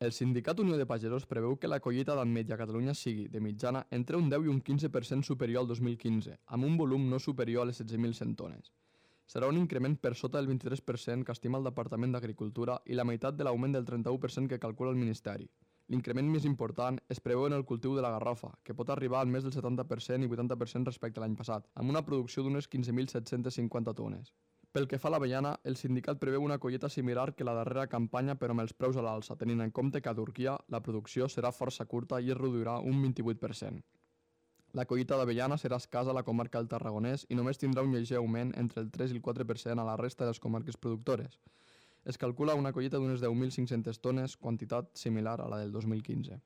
El sindicat Unió de Pagesos preveu que la collita d'ametlla a Catalunya sigui, de mitjana, entre un 10 i un 15% superior al 2015, amb un volum no superior a les 16.100 tones. Serà un increment per sota del 23% que estima el Departament d'Agricultura i la meitat de l'augment del 31% que calcula el Ministeri. L'increment més important es preveu en el cultiu de la garrofa, que pot arribar al més del 70% i 80% respecte a l'any passat, amb una producció d'unes 15.750 tones. Pel que fa a l'avellana, el sindicat preveu una collita similar que la darrera campanya però amb els preus a l'alça, tenint en compte que a Turquia la producció serà força curta i es reduirà un 28%. La collita d'avellana serà escassa a la comarca del Tarragonès i només tindrà un lleuger augment entre el 3 i el 4% a la resta de les comarques productores. Es calcula una collita d'unes 10.500 tones, quantitat similar a la del 2015.